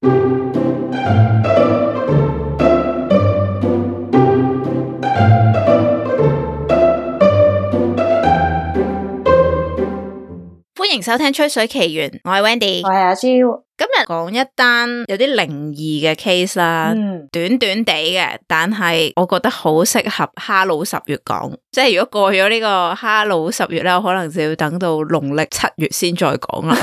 歡迎收聽《吹水奇緣》，我係 Wendy， 我係阿 Jill。今日講一單有啲靈異嘅 case 啦，短短地嘅，但係我覺得好適合哈佬10月講。即係如果過咗呢個哈佬10月咧，我可能就要等到農曆7月先再講啦。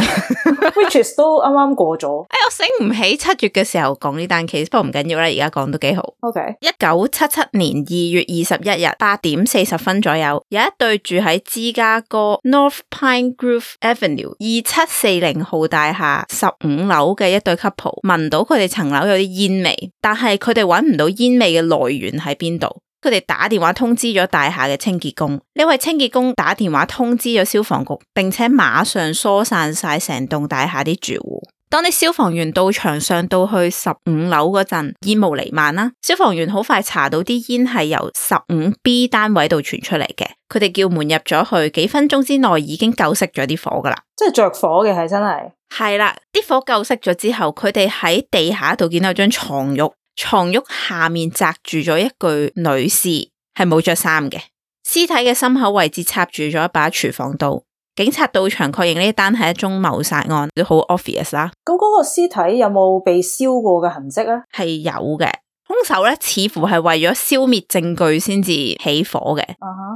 Which is 都啱啱過咗。我醒唔起7月嘅時候講呢單 case， 不過唔緊要啦，而家講都幾好。OK。1977年2月21日8點40分左右，有一對住喺芝加哥 North Pine Grove Avenue 2740號大廈15樓嘅一對 couple， 聞到佢哋層樓有啲煙味，但係佢哋揾唔到煙味嘅來源喺邊度。佢哋打電話通知咗大廈嘅清潔工，呢位清潔工打電話通知咗消防局，並且馬上疏散晒成棟大廈啲住戶。當啲消防員到場上到去15樓嗰陣，煙霧彌漫啦。消防員好快查到啲煙係由 15B 單位度傳出嚟嘅，佢哋叫門入咗去，幾分鐘之內已經救熄咗啲火噶啦。即係着火嘅係真係。係啦，啲火救熄咗之後，佢哋喺地下度見到張床褥，床褥下面擲住咗一具女士，係冇着衫嘅，屍體嘅心口位置插住咗一把廚房刀。警察到場確認呢單係一宗謀殺案，都好 obvious 啦。咁嗰個屍體有冇被燒過嘅痕跡咧？係有嘅，兇手咧似乎係為咗消滅證據先至起火嘅。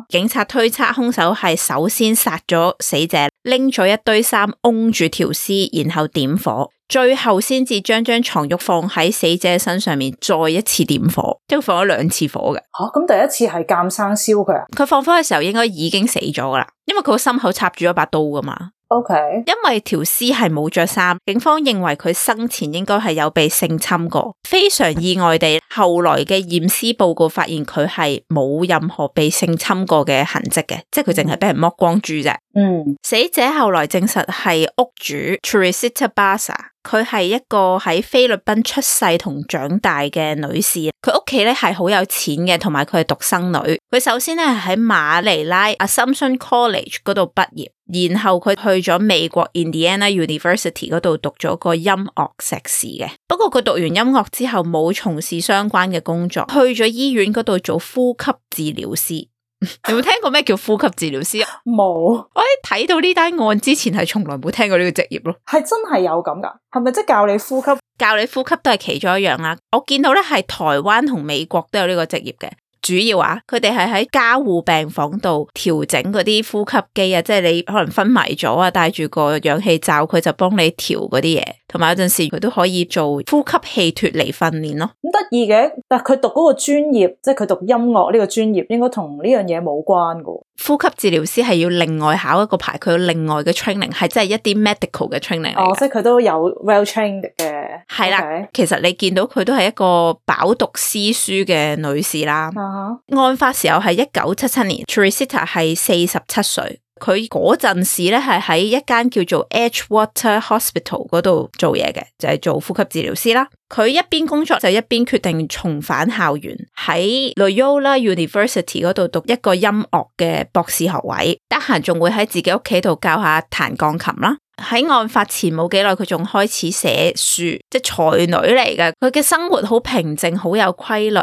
警察推測兇手係首先殺咗死者，拎咗一堆衫擁住條屍，然後點火，最後先至將張床褥放喺死者身上面，再一次點火，即係放咗2次火嘅。咁第一次係監生燒佢啊？佢放火嘅時候應該已經死咗噶啦，因為佢個心口插住咗把刀噶嘛。OK， 因為條屍係冇着衫，警方認為佢生前應該係有被性侵過。非常意外地，後來嘅驗屍報告發現佢係冇任何被性侵過嘅痕跡嘅，即係佢淨係俾人剝光豬啫。死者後來證實係屋主 Teresita Basa， 佢係一個喺菲律賓出世同長大嘅女士。佢屋企咧係好有錢嘅，同埋佢係獨生女。佢首先咧係喺馬尼拉 Assumption College 嗰度畢業，然後佢去咗美國 Indiana University 嗰度讀咗個音樂碩士嘅。不過佢讀完音樂之後冇從事相關嘅工作，去咗醫院嗰度做呼吸治療師。你有冇聽過咩叫呼吸治療師？冇。我喺睇到呢單案之前係從來冇聽過呢個職業咯。係真係有咁噶？係咪即係教你呼吸？教你呼吸都係其中一樣啦。我見到咧係台灣同美國都有呢個職業嘅。主要佢哋係喺加護病房度調整嗰啲呼吸機啊，即係你可能昏迷咗啊，戴住個氧氣罩，佢就幫你調嗰啲嘢，同埋有陣時佢都可以做呼吸器脫離訓練咯。咁得意嘅，但係佢讀嗰個專業，即係佢讀音樂呢個專業，應該同呢樣嘢冇關噶。呼吸治療師係要另外考一個牌，佢有另外嘅 training， 係真係一啲 medical 嘅 training 嚟。即係佢都有 well trained 嘅。係啦，其實你見到佢都係一個飽讀詩書嘅女士啦。案發時候係1977年 Teresita 係47歲，佢嗰陣時咧係喺一間叫做 Edgewater Hospital 嗰度做嘢嘅，就係做呼吸治療師啦。佢一邊工作就一邊決定重返校園，喺 Loyola University 嗰度讀一個音樂嘅博士學位，得閒仲會喺自己屋企度教下彈鋼琴啦。喺案發前冇幾耐，佢仲開始寫書，即係才女嚟嘅。佢嘅生活好平靜，好有規律。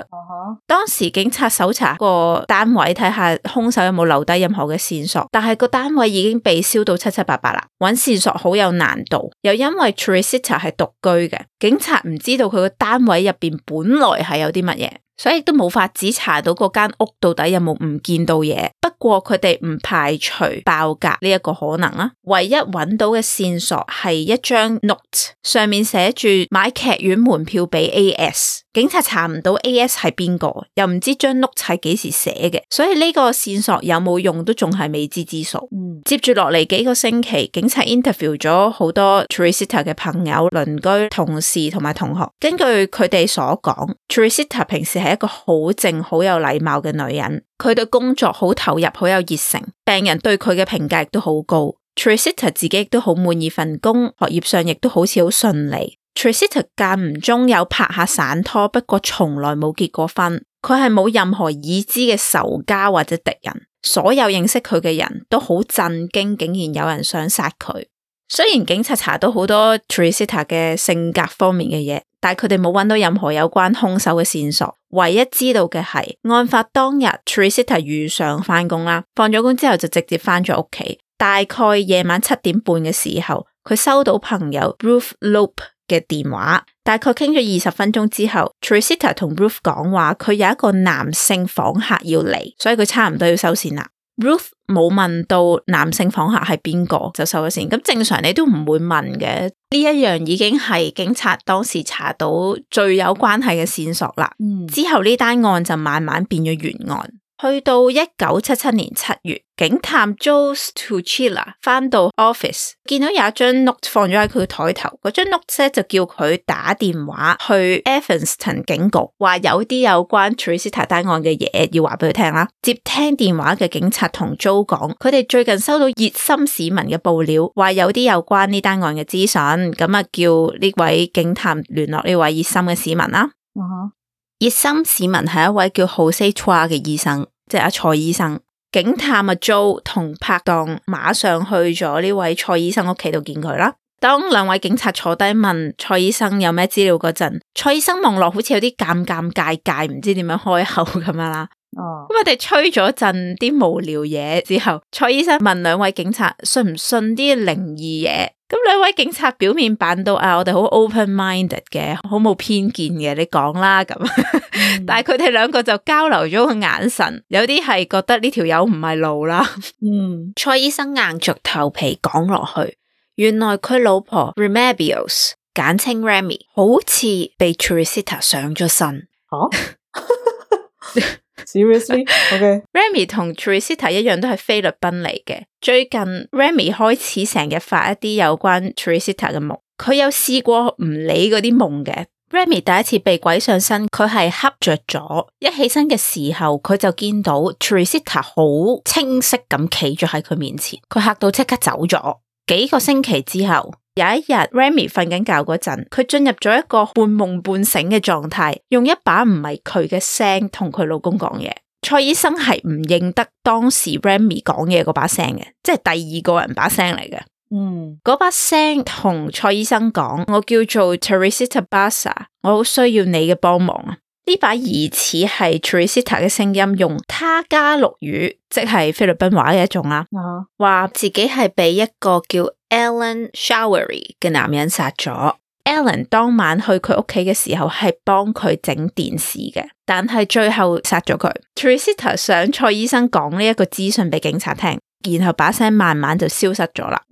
當時警察搜查個單位，睇下兇手有冇留低任何嘅線索，但係個單位已經被燒到七七八八啦，揾線索好有難度。又因為 Teresita 係獨居嘅，警察唔知道佢個單位入邊本來係有啲乜嘢，所以都冇法子查到嗰間屋到底有冇唔見到嘢。不過佢哋唔排除爆格呢一個可能啦。唯一揾到嘅線索係一張 note， 上面寫住買劇院門票俾 AS。警察查唔到 AS 係邊個，又唔知張 note 係幾時寫嘅，所以呢個線索有冇用都仲係未知之數。接住落嚟幾個星期，警察 interview 咗好多 Teresita 嘅朋友、鄰居、同事同埋同學。根據佢哋所講， Teresita 平時係一個好靜、好有禮貌嘅女人，佢對工作好投入、好有熱誠，病人對佢嘅評價亦都好高。Teresita 自己亦都好滿意份工，學業上亦都好似好順利。Teresita 間唔中有拍下散拖，不過從來冇結過婚。佢係冇任何已知嘅仇家或者敵人，所有認識佢嘅人都好震驚，竟然有人想殺佢。雖然警察查到好多 Teresita 嘅性格方面嘅嘢，但係佢哋冇揾到任何有關兇手嘅線索。唯一知道嘅係案發當日 Teresita 如常返工啦，放咗工之後就直接返咗屋企。大概夜晚7點半嘅時候，佢收到朋友 Ruth Lope 嘅電話，大概傾咗20分鐘之後 Teresita 同 Ruth 講話佢有一個男性訪客要嚟，所以佢差唔多要收線啦。Ruth 冇問到男性訪客係邊個就收咗線，咁正常你都唔會問嘅，呢一樣已經係警察當時查到最有關係嘅線索啦。之後呢單案就慢慢變咗懸案。去到1977年7月，警探 Joe Tuchila 返到 office， 見到有一張 note 放咗喺佢台頭，嗰張 note 咧就叫佢打電話去 Evanston 警局，話有啲有關 Teresita 單案嘅嘢要話俾佢聽啦。接聽電話嘅警察同 Joe 講，佢哋最近收到熱心市民嘅報料，話有啲有關呢單案嘅資訊，咁啊叫呢位警探聯絡呢位熱心嘅市民啦。熱心市民係一位叫 Jose Chua 嘅醫生，即係阿蔡醫生。警探阿 Joe 同拍檔馬上去咗呢位蔡醫生屋企度見佢啦。當兩位警察坐低問蔡醫生有咩資料嗰陣，蔡醫生望落好似有啲尷尬，唔知點樣開口咁樣啦。咁我哋吹咗陣啲無聊嘢之後，蔡醫生問兩位警察信唔信啲靈異嘢。咁兩位警察表面扮到我哋好 open-minded 嘅，好冇偏見嘅，你講啦咁。但係佢哋兩個就交流咗個眼神，有啲係覺得呢條友唔係路啦。蔡醫生硬着頭皮講落去，原來佢老婆 Remedios 簡稱 Remy 好似被 Teresita 上咗身。Seriously? Okay. Remy 同 Teresita 一樣都係菲律賓嚟嘅。最近 Remy 開始成日發一啲有關 Teresita 嘅夢，佢有試過唔理嗰啲夢嘅。Remy 第一次被鬼上身，佢係瞌着咗，一起身嘅時候佢就見到 Teresita 好清晰咁企咗喺佢面前，佢嚇到即刻走咗。幾個星期之後，有一日 Remy 瞓緊覺嗰陣，佢進入咗一個半夢半醒嘅狀態，用一把唔係佢嘅聲同佢老公講嘢。蔡醫生係唔認得當時 Remy 講嘢嗰把聲嘅，即係第二個人把聲嚟嘅。嗰把聲同蔡醫生講，我叫做 Teresita Basa， 我好需要你嘅幫忙啊！呢把疑似係 Teresita 嘅聲音，用他加祿語，即係菲律賓話嘅一種啦，話自己係被一個叫 Alan Showery 嘅男人殺咗。Alan 當晚去佢屋企嘅時候係幫佢整電視嘅，但係最後殺咗佢。Teresita 想蔡醫生講呢一個資訊俾警察聽，然後把聲慢慢就消失咗啦。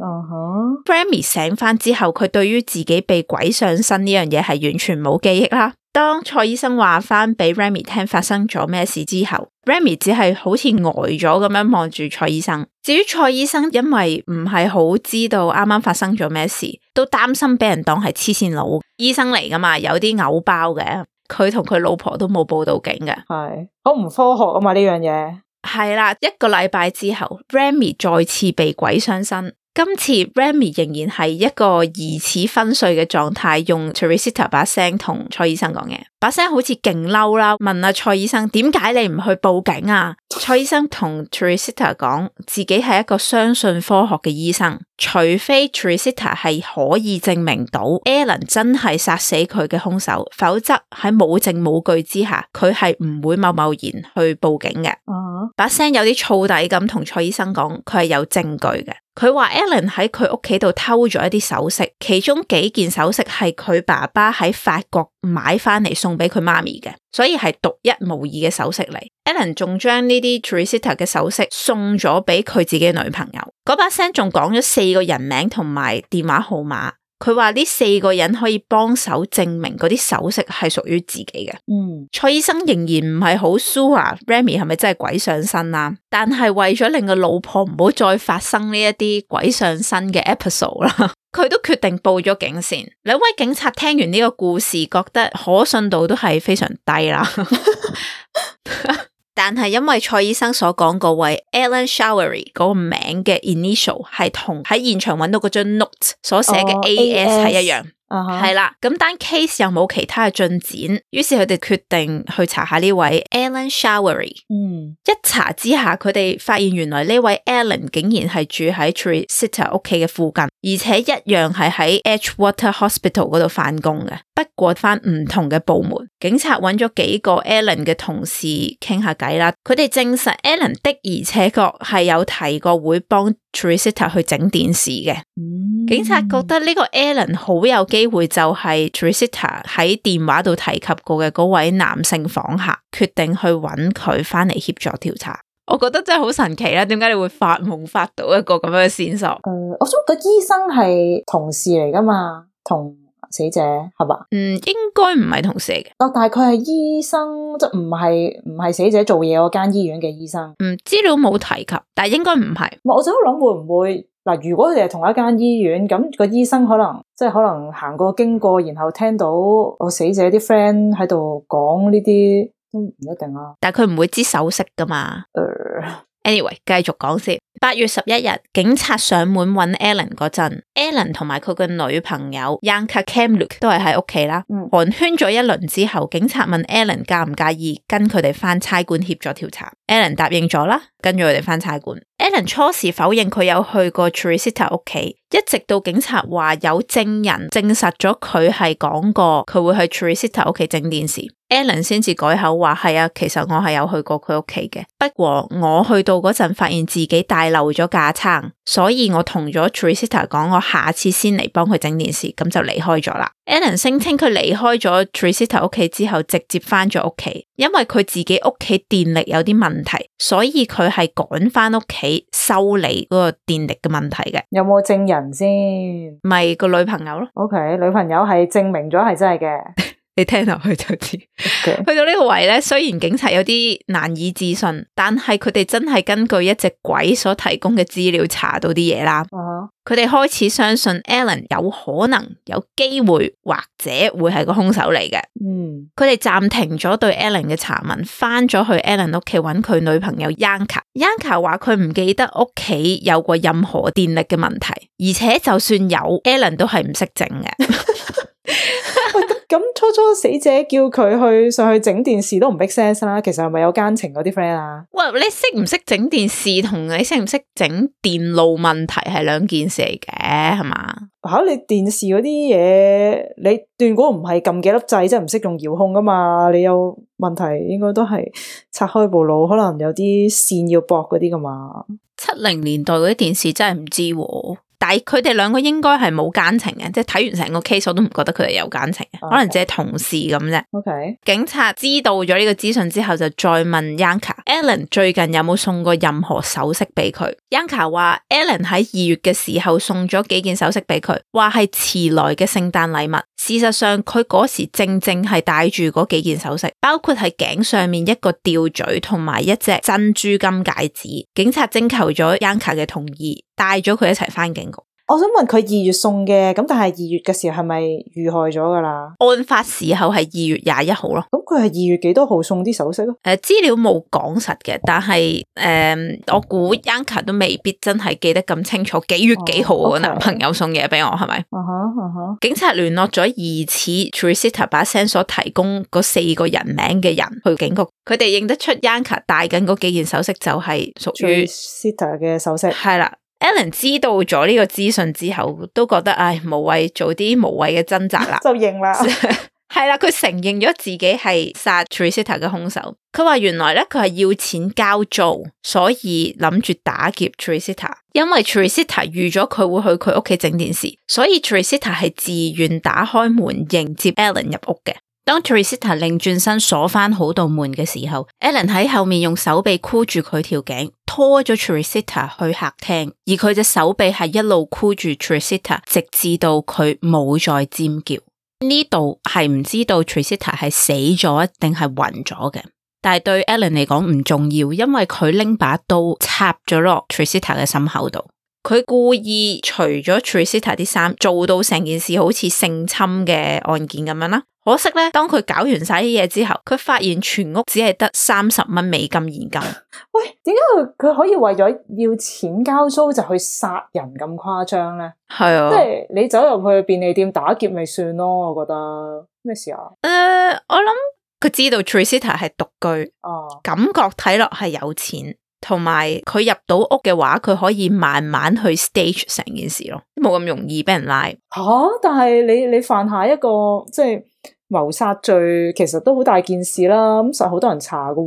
Remy 醒翻之後，佢對於自己被鬼上身呢樣嘢係完全冇記憶啦。當蔡醫生話翻俾 Remy 聽發生咗咩事之後， Remy 只係好似呆咗咁樣望住蔡醫生。至於蔡醫生因為唔係好知道啱啱發生咗咩事，都擔心俾人當係黐線佬，醫生嚟噶嘛，有啲偶包嘅，佢同佢老婆都冇報到警嘅。係好唔科學啊嘛呢樣嘢。係啦，一個禮拜之後 Remy 再次被鬼上身。今次 Remy 仍然係一個疑似昏睡嘅狀態，用 Teresita 把聲同蔡醫生講嘢，把聲好似勁嬲啦，問阿蔡醫生點解你唔去報警啊？蔡醫生同 Teresita 講自己係一個相信科學嘅醫生，除非 Teresita 係可以證明到 Alan 真係殺死佢嘅兇手，否則喺冇證冇據之下，佢係唔會貿然去報警嘅。把聲有啲燥底咁同蔡醫生講，佢係有證據嘅。佢話 Alan 喺佢屋企度偷咗一啲首飾，其中幾件首飾係佢爸爸喺法國買翻嚟送俾佢媽咪嘅，所以係獨一無二嘅首飾嚟。Alan 仲將呢啲 Teresita 嘅首飾送咗俾佢自己嘅女朋友。嗰把聲仲講咗4個人名同埋電話號碼。佢話呢4個人可以幫手證明嗰啲首飾係屬於自己嘅。蔡醫生仍然唔係好 sure Remy 係咪真係鬼上身啊？但係為咗令個老婆唔好再發生呢一啲鬼上身嘅 episode 啦，佢都決定報咗警先。兩位警察聽完呢個故事，覺得可信度都係非常低啦。但係因為蔡醫生所講嗰位 Alan Showery 嗰個名嘅 initial 係同喺現場揾到嗰張 note 所寫嘅 AS 係一樣，係啦，咁單 case 又冇其他嘅進展，於是佢哋決定去查下呢位 Alan Showery。一查之下，佢哋發現原來呢位 Alan 竟然係住喺 Tricita 屋企嘅附近，而且一樣係喺 Edgewater Hospital 嗰度返工嘅，不過返唔同嘅部門。警察揾咗幾個 Alan 嘅同事傾下偈啦，佢哋證實 Alan 的而且確係有提過會幫 Tricita 去整電視嘅。警察覺得呢個 Alan 好有機會就係 Tricita 喺電話度提及過嘅嗰位男性訪客，決定去揾佢返嚟協助調查。我覺得真係好神奇啦，點解你會發夢發到一個咁樣嘅線索？我想個醫生係同事嚟噶嘛，同死者係嘛？應該唔係同事嚟嘅。但係佢係醫生，即係唔係死者做嘢嗰間醫院嘅醫生。資料冇提及，但係應該唔係。我就喺度諗會唔會嗱，如果佢哋係同一間醫院，咁個醫生可能行過經過，然後聽到我死者啲 friend 喺度講呢啲，都唔一定啊。但係佢唔會知手勢噶嘛。Anyway， 繼續講先。8月11日，警察上門揾 Alan 嗰陣 ，Alan 同埋佢嘅女朋友 Yanka Kamluk 都係喺屋企啦。寒暄咗一輪之後，警察問 Alan 介唔介意跟佢哋返差館協助調查。Alan 答應咗啦，跟住佢哋返差館。Alan 初時否認佢有去過 Tricita 屋企，一直到警察話有證人證實咗佢係講過佢會去 Tricita 屋企整電視。Alan 先至改口話係啊，其實我係有去過佢屋企嘅，不過我去到嗰陣發現自己帶漏咗架撐，所以我同咗 Tricita 講我下次先嚟幫佢整電視，咁就離開咗啦。Alan 聲稱佢離開咗 Tricita 屋企之後直接返咗屋企，因為佢自己屋企電力有啲問題，所以佢係趕返屋企修理嗰個電力嘅問題嘅。有冇證人先？咪個女朋友咯。OK， 女朋友係證明咗係真係嘅。你聽落去就知。去到呢個位咧，雖然警察有啲難以置信，但係佢哋真係根據一隻鬼所提供嘅資料查到啲嘢啦。佢哋開始相信 Alan 有可能、有機會或者會係個兇手嚟嘅。佢哋暫停咗對 Alan 嘅查問，翻咗去 Alan 屋企揾佢女朋友 Yanka。Yanka 話佢唔記得屋企有過任何電力嘅問題，而且就算有 ，Alan 都係唔識整嘅。咁初死者叫佢去上去整電視都唔 make sense 啦，其實係咪有奸情嗰啲 friend 啊？喂，你識唔識整電視同你識唔識整電路問題係兩件事嚟嘅，係嘛？你電視嗰啲嘢，你斷估唔係撳幾粒掣，即係唔識用遙控噶嘛？你有問題應該都係拆開部腦，可能有啲線要駁嗰啲噶嘛？70年代嗰啲電視真係唔知喎。但係佢哋兩個應該係冇奸情嘅，即係睇完成個 case 我都唔覺得佢哋有奸情嘅，可能只係同事咁啫。Okay. 警察知道咗呢個資訊之後就再問 Yanka，Alan 最近有冇送過任何首飾俾佢？ Yanka 話 Alan 喺2月嘅時候送咗幾件首飾俾佢，話係遲來嘅聖誕禮物。事實上佢嗰時正係戴住嗰幾件首飾，包括係頸上面一個吊墜同埋一隻珍珠金戒指。警察徵求咗 Yanka 嘅同意，帶咗佢一齊返警局。我想問佢2月送嘅，咁但係2月嘅時候係咪遇害咗噶啦？案發時候係2月21號咯。咁佢係2月幾多號送啲首飾咯？資料冇講實嘅，但係我估 Yanka 都未必真係記得咁清楚幾月幾號個男朋友送嘢俾我，係咪？警察聯絡咗疑似 Tricita 把聲所提供嗰4個人名嘅人去警局，佢哋認得出 Yanka 戴緊嗰幾件首飾就係屬於 Tricita 嘅首飾。係啦。Alan 知道咗呢個資訊之後，都覺得無謂做啲無謂嘅掙扎啦，就認啦。係啦，佢承認咗自己係殺 Tricita 嘅兇手。佢話原來咧佢係要錢交租，所以諗住打劫 Tricita。因為 Tricita 預咗佢會去佢屋企整電視，所以 Tricita 係自願打開門迎接 Alan 入屋嘅。當 Tricita 擰轉身鎖翻好道門嘅時候 ，Alan 喺後面用手臂箍住佢條頸，拖咗 Tricita 去客廳，而佢隻手臂係一路箍住 Tricita， 直至到佢冇再尖叫。呢度係唔知道 Tricita 係死咗定係暈咗嘅，但係對 Alan 嚟講唔重要，因為佢拎把刀插咗落 Tricita 嘅心口度。佢故意除咗 Tricita 啲衫，做到成件事好似性侵嘅案件咁樣啦。可惜咧，當佢搞完晒啲嘢之後，佢發現全屋只係得30蚊美金現金。喂，點解佢可以為咗要錢交租就去殺人咁誇張咧？係啊，即係你走入去便利店打劫咪算咯，我覺得咩事啊？我諗佢知道 Tricita 係獨居，感覺睇落係有錢。同埋佢入到屋嘅話，佢可以慢慢去 stage 成件事咯，冇咁容易俾人拉。但係你犯下一個即係謀殺罪，其實都好大件事啦。咁實好多人查噶，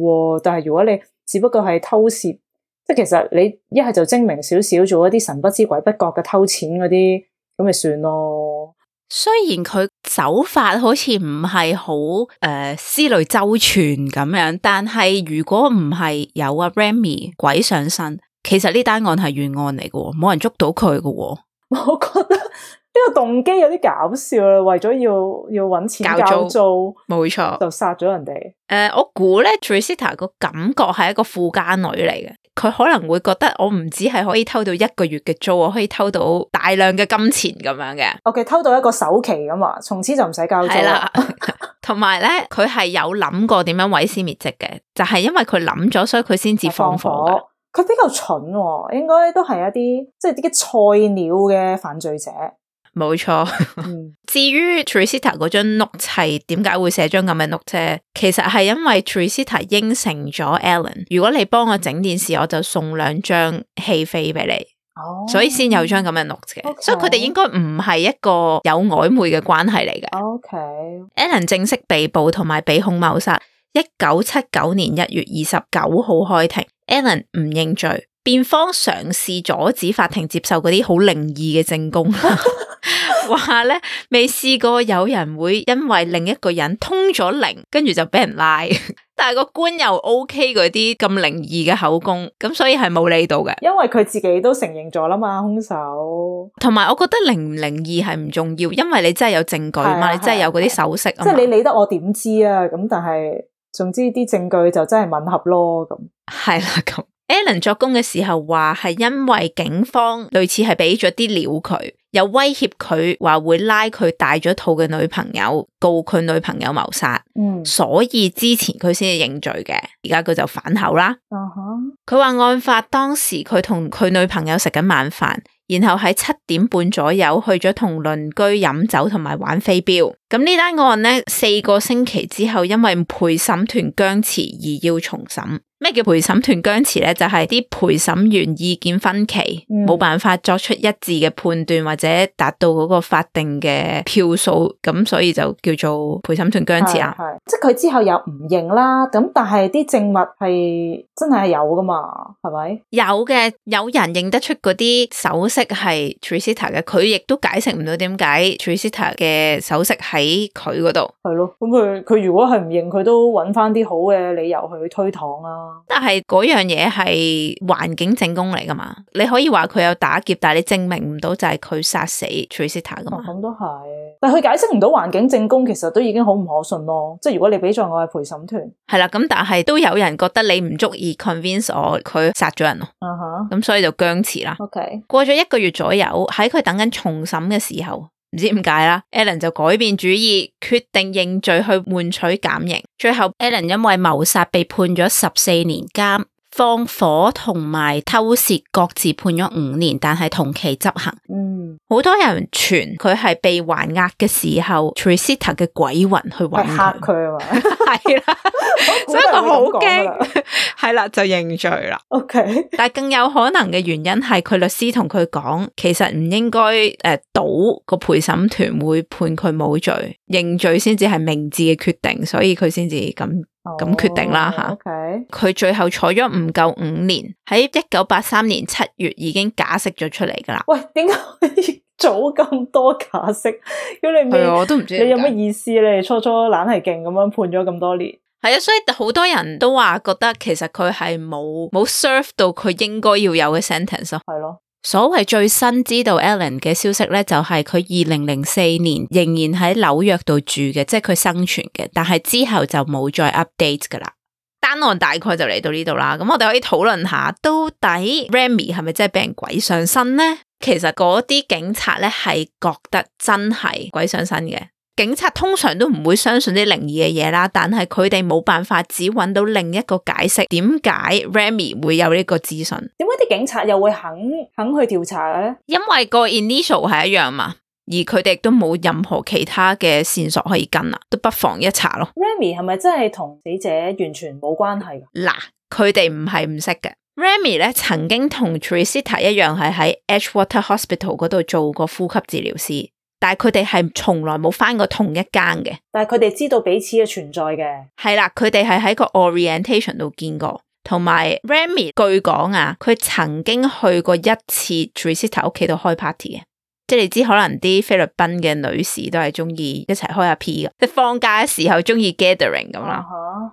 但係如果你只不過係偷竊，即係其實你一係就精明少少，做一啲神不知鬼不覺嘅偷錢嗰啲，咁咪算咯。雖然佢手法好似唔係好思慮周全咁樣，但係如果唔係有阿 Remy 鬼上身，其實呢單案係懸案嚟嘅，冇人捉到佢嘅。我覺得呢個動機有啲搞笑啦，為咗要搵錢交租，冇錯，就殺咗人哋。我估咧 Tricita 個感覺係一個富家女嚟嘅，佢可能會覺得我唔止係可以偷到1個月嘅租，我可以偷到大量嘅金錢咁樣嘅。OK， 偷到一個首期咁啊，從此就唔使交租。係啦，同埋咧，佢係有諗過點樣毀屍滅跡嘅，就係因為佢諗咗，所以佢先至放火嘅。佢比較蠢喎，應該都係一啲即係啲菜鳥嘅犯罪者。冇錯。至於 Tricita 嗰張 note 係點解會寫張咁嘅 note 啫？其實係因為 Tricita 應承咗 Alan， 如果你幫我整電視，我就送2張戲飛俾你。所以先有張咁嘅 note 嘅。所以佢哋應該唔係一個有曖昧嘅關係嚟嘅。Alan 正式被捕同埋被控謀殺。1979年1月29號開庭。Alan 唔認罪，辯方嘗試阻止法庭接受嗰啲好靈異嘅證供，話咧未試過有人會因為另一個人通咗靈，跟住就俾人拉，但係個官又 OK 嗰啲咁靈異嘅口供，咁所以係冇理到嘅，因為佢自己都承認咗啦嘛，兇手。同埋我覺得靈唔靈異係唔重要，因為你真係有證據嘛，你真係有嗰啲首飾啊嘛，即係你理得我點知啊？咁但係總之啲證據就真係吻合咯，咁係啦咁。Alan 作供嘅時候話係因為警方類似係俾咗啲料佢，又威脅佢話會拉佢大咗肚嘅女朋友告佢女朋友謀殺，所以之前佢先至認罪嘅，而家佢就反口啦。佢話案發當時佢同佢女朋友食緊晚飯，然後喺7點半左右去咗同鄰居飲酒同埋玩飛鏢。咁呢單案呢，4個星期之後因為陪審團僵持而要重審。咩叫陪審團僵持咧？就係啲陪審員意見分歧，冇辦法作出一致嘅判斷或者達到嗰個法定嘅票數，咁所以就叫做陪審團僵持啊。係，即係佢之後又唔認啦，咁但係啲證物係真係有噶嘛？係咪？有嘅，有人認得出嗰啲首飾係 Tricita 嘅，佢亦都解釋唔到點解 Tricita 嘅首飾喺佢嗰度。係咯，咁佢如果係唔認，佢都揾翻啲好嘅理由去推搪啦。但係嗰樣嘢係環境證供嚟噶嘛？你可以話佢有打劫，但係你證明唔到就係佢殺死 Tricita 噶嘛？咁都係，但係佢解釋唔到環境證供，其實都已經好唔可信咯。即係如果你俾咗我係陪審團，係啦，咁但係都有人覺得你唔足以 convince 我佢殺咗人咯。咁所以就僵持啦。過咗1個月左右，喺佢等緊重審嘅時候。唔知點解啦 Alan 就改變主意，決定認罪去換取減刑。最後 Alan 因為謀殺被判咗14年監，放火同埋偷竊各自判咗5年，但係同期執行。好多人傳佢係被還押嘅時候 Tricita 嘅鬼魂去揾佢，嚇佢啊嘛，係啦，所以佢好驚，係啦就認罪啦。OK， 但係更有可能嘅原因係佢律師同佢講，其實唔應該賭個陪審團會判佢冇罪，認罪先至係明智嘅決定，所以佢先至咁決定啦吓。佢最後坐咗唔夠5年，喺1983年7月已經假釋咗出嚟噶啦。喂，點解早咁多假釋？咁你我都唔知你有乜意思咧？初初懶係勁咁樣判咗咁多年。係啊，所以好多人都話覺得其實佢係冇 serve 到佢應該要有嘅 sentence 咯。係咯。所謂最新知道 Alan 嘅消息咧，就係佢2004年仍然喺紐約度住嘅，即係佢生存嘅，但係之後就冇再 update 噶啦。單案大概就嚟到呢度啦。咁我哋可以討論下，到底 Remy 係咪真係俾人鬼上身呢？其實嗰啲警察咧係覺得真係鬼上身嘅。警察通常都唔會相信啲靈異嘅嘢啦，但係佢哋冇辦法只揾到另一個解釋，點解 Remy 會有呢個資訊？點解啲警察又會肯去調查嘅咧？因為個 initial 係一樣嘛，而佢哋都冇任何其他嘅線索可以跟啦，都不妨一查咯。Remy 係咪真係同死者完全冇關係㗎？嗱，佢哋唔係唔識嘅。Remy 咧曾經同 Teresita 一樣係喺 Edgewater Hospital 嗰度做過呼吸治療師。但係佢哋係從來冇返過同一間嘅，但係佢哋知道彼此嘅存在嘅。係啦，佢哋係喺個 orientation 度見過，同埋 Remy 據講啊，佢曾經去過一次 Teresita 屋企度開 party 嘅，即係你知可能啲菲律賓嘅女士都係中意一齊開下 P 嘅，即係放假嘅時候中意 gathering 咁啦。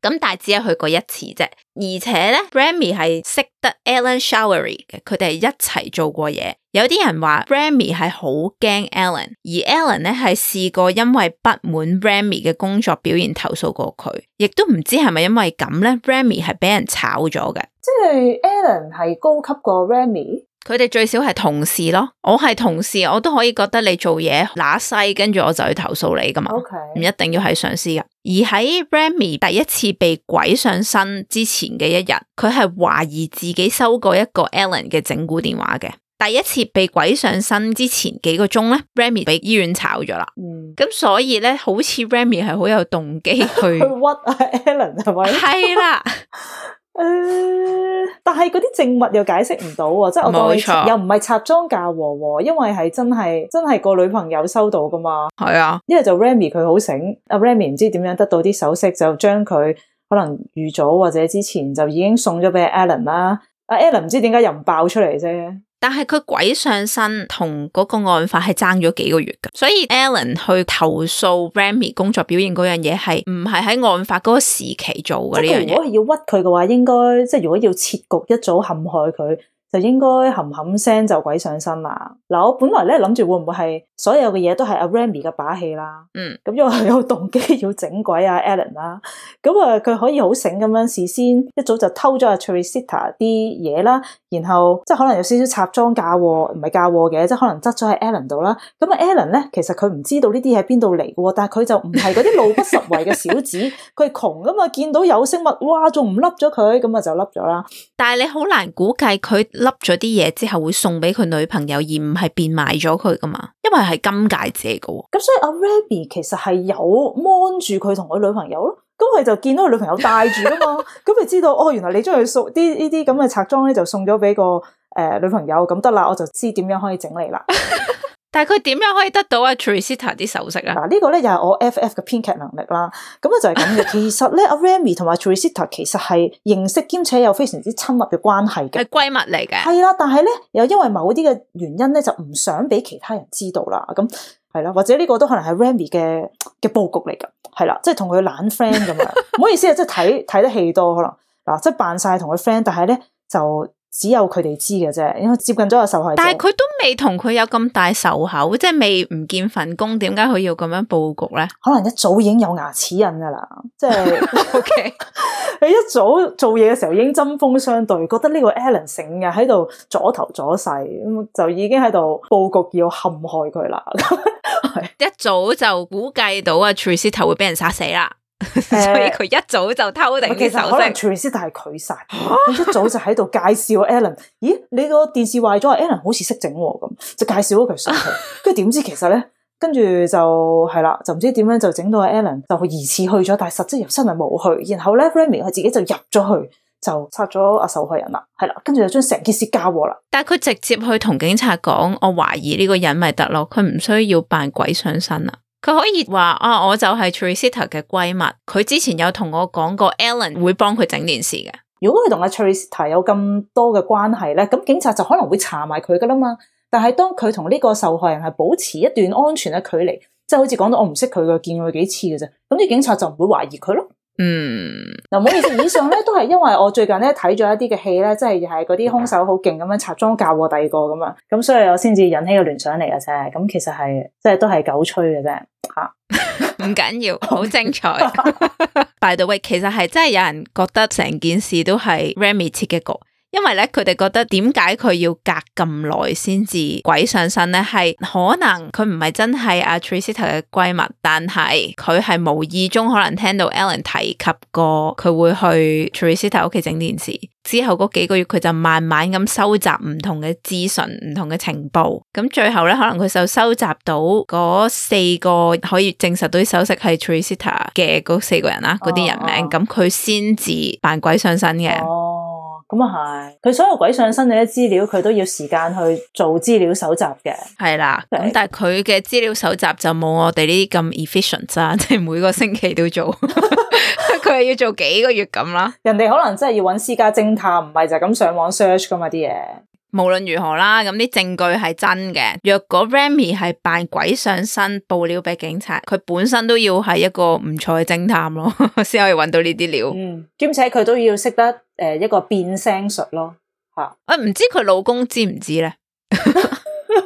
咁但係只係去過一次啫，而且咧 Remy 係識得 Alan Showery 嘅，佢哋係一齊做過嘢。有啲人話 Remy 係好驚 Alan， 而 Alan 咧係試過因為不滿 Remy 嘅工作表現投訴過佢，亦都唔知係咪因為咁咧 Remy 係俾人炒咗嘅。即係 Alan 係高級過 Remy？佢哋最少係同事咯，我係同事，我都可以覺得你做嘢揦西，跟住我就去投訴你噶嘛，唔 Okay. 一定要係上司噶。而喺 Remy 第一次被鬼上身之前嘅一日，佢係懷疑自己收過一個 Alan 嘅整蠱電話嘅。第一次被鬼上身之前幾個鐘咧 Remy 俾醫院炒咗啦。咁所以咧，好似 Remy 係好有動機去屈Alan 係咪？係啦。但係嗰啲證物又解釋唔到喎，即係我當你又唔係插贓嫁禍喎，因為係真係個女朋友收到噶嘛。係啊，因為就 Remy 佢好醒，阿 Remy 唔知點樣得到啲首飾，就將佢可能預早或者之前就已經送咗俾 Alan 啦。阿 Alan 唔知點解又唔爆出嚟啫。但係佢鬼上身同嗰個案發係爭咗幾個月噶，所以 Alan 去投訴 Remy 工作表現嗰樣嘢係唔係喺案發嗰個時期做嘅呢樣嘢。如果係要屈佢嘅話，應該即係如果要設局一早陷害佢，就應該冚冚聲就鬼上身啦。嗱，我本來咧諗住會唔會係所有嘅嘢都係阿 Remy 嘅把戲啦。咁因為佢有動機要整鬼阿 Alan 啦。咁佢可以好醒咁樣事先一早就偷咗阿 Teresita 啲嘢啦，然後即係可能有少少插贓嫁禍，唔係嫁禍嘅，即係可能執咗喺 Alan 度啦。咁啊 Alan 咧，其實佢唔知道呢啲喺邊度嚟嘅，但係佢就唔係嗰啲路不拾遺嘅小子，佢係窮噶嘛，見到有飾物，哇，仲唔笠咗佢，咁啊就笠咗啦。但係你好難估計佢笠咗啲嘢之後會送俾佢女朋友，而唔係變賣咗佢噶嘛，因為係金戒指嚟嘅。咁所以阿 Remy 其實係有 mon 住佢同佢女朋友咯。咁佢就見到佢女朋友戴住噶嘛，咁佢知道哦，原來你將佢送啲呢啲咁嘅拆裝咧，就送咗俾個女朋友，咁得啦，我就知點樣可以整你啦。但係佢點樣可以得到阿 Teresita 啲首飾啊？嗱，呢個咧又係我 FF 嘅編劇能力啦。咁就係咁嘅。其實咧，阿 Remy 同埋 Teresita 其實係認識兼且有非常之親密嘅關係嘅，係閨蜜嚟嘅。係啦，但係咧又因為某啲嘅原因咧，就唔想俾其他人知道啦。咁係啦，或者呢個都可能係 Remy 嘅佈局嚟噶。係啦，即係同佢懶 friend 咁樣。唔好意思啊，即係睇得戲多可能嗱，即係扮晒同佢 friend，但係咧就只有佢哋知嘅啫，因為接近咗個受害者。但係佢都未同佢有咁大仇口，即係未唔見份工，點解佢要咁樣佈局咧？可能一早已經有牙齒印噶啦，即係 OK。佢一早做嘢嘅時候已經針鋒相對，覺得呢個 Alan 成日喺度阻頭阻勢，咁就已經喺度佈局要陷害佢啦。一早就估計到啊 Teresita 會俾人殺死啦。所以佢一早就偷定啲首飾。可能 Teresita 係佢殺，佢一早就喺度介紹 Alan。咦，你個電視壞咗，Alan 好似識整咁，就介紹咗佢上去。跟住點知其實咧，跟住就係啦，就唔知點樣就整到 Alan 就疑似去咗，但係實質又真係冇去。然後咧 Remy 佢自己就入咗去，就殺咗阿受害人啦。係啦，跟住就將成件事交禍啦。但係佢直接去同警察講，我懷疑呢個人咪得咯，佢唔需要扮鬼上身啊。佢可以話啊，我就係 Teresita 嘅閨蜜，佢之前有同我講過 Alan 會幫佢整件事嘅。如果佢同阿 Teresita 有咁多嘅關係咧，咁警察就可能會查埋佢噶啦嘛。但係當佢同呢個受害人係保持一段安全嘅距離，即係好似講到我唔識佢嘅，見佢幾次嘅啫，咁啲警察就唔會懷疑佢咯。嗱，唔好意思，以上咧都係因為我最近咧睇咗一啲嘅戲咧，即係係嗰啲兇手好勁咁樣插贓嫁禍第二個咁樣，咁所以我先至引起個聯想嚟嘅啫。咁其實係即係都係狗吹嘅啫，吓，唔緊要，好精彩。by the way，其實係真係有人覺得成件事都係 Remy 設嘅局。因為咧，佢哋覺得點解佢要隔咁耐先至鬼上身咧？係可能佢唔係真係阿 Tricita 嘅閨蜜，但係佢係無意中可能聽到 Ellen 提及過佢會去 Tricita 屋企整電視。之後嗰幾個月，佢就慢慢咁收集唔同嘅資訊、唔同嘅情報。咁最後咧，可能佢就收集到嗰4個可以證實到啲首飾係 Tricita 嘅嗰4個人啦，嗰啲人名，咁佢先至扮鬼上身嘅。咁啊係，佢所有鬼上身嘅啲資料，佢都要時間去做資料搜集嘅。係啦，咁但係佢嘅資料搜集就冇我哋呢啲咁 efficient 啦，即係每個星期都做，佢係要做幾個月咁啦。人哋可能真係要揾私家偵探，唔係就咁上網 search 噶嘛啲嘢。無論如何啦，咁啲證據係真嘅。若果 Remy 係扮鬼上身報料俾警察，佢本身都要係一個唔錯嘅偵探咯，先可以揾到呢啲料。兼且佢都要識得一個變聲術咯，吓。唔知佢老公知唔知咧？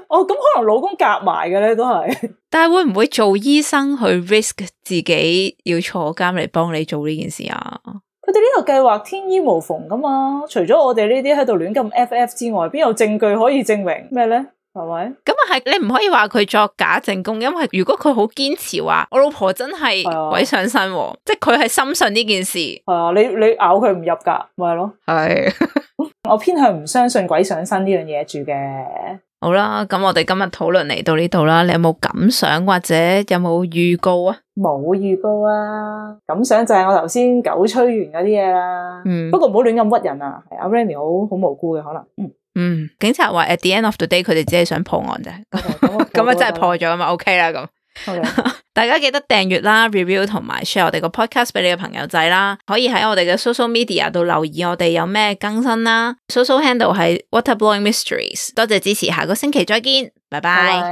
哦，咁可能老公夾埋嘅咧，都係。但係會唔會做醫生去 risk 自己要坐監嚟幫你做呢件事啊？佢哋呢個計劃天衣無縫噶嘛，除咗我哋呢啲喺度亂咁 FF 之外，邊有證據可以證明咩咧？係咪？咁啊係，你唔可以話佢作假證供，因為如果佢好堅持話我老婆真係鬼上身，即係佢係深信呢件事。係啊，你咬佢唔入噶，咪係咯。係，我偏向唔相信鬼上身呢樣嘢住嘅。好啦，咁我哋今日討論嚟到呢度啦，你有冇感想或者有冇預告啊？冇預告啊，感想就係我頭先狗吹完嗰啲嘢啦。不過唔好亂咁屈人啊，係阿 Remy 好無辜嘅可能。警察話 at the end of the day 佢哋只係想破案啫，咁啊真係破咗嘛 ，OK 啦咁。大家記得訂閱啦、review 同埋 share 我哋個 podcast 俾你嘅朋友仔啦，可以喺我哋嘅 social media 度留意我哋有咩更新啦。social handle 係 Waterblowing Mysteries， 多謝支持，下個星期再見，拜拜。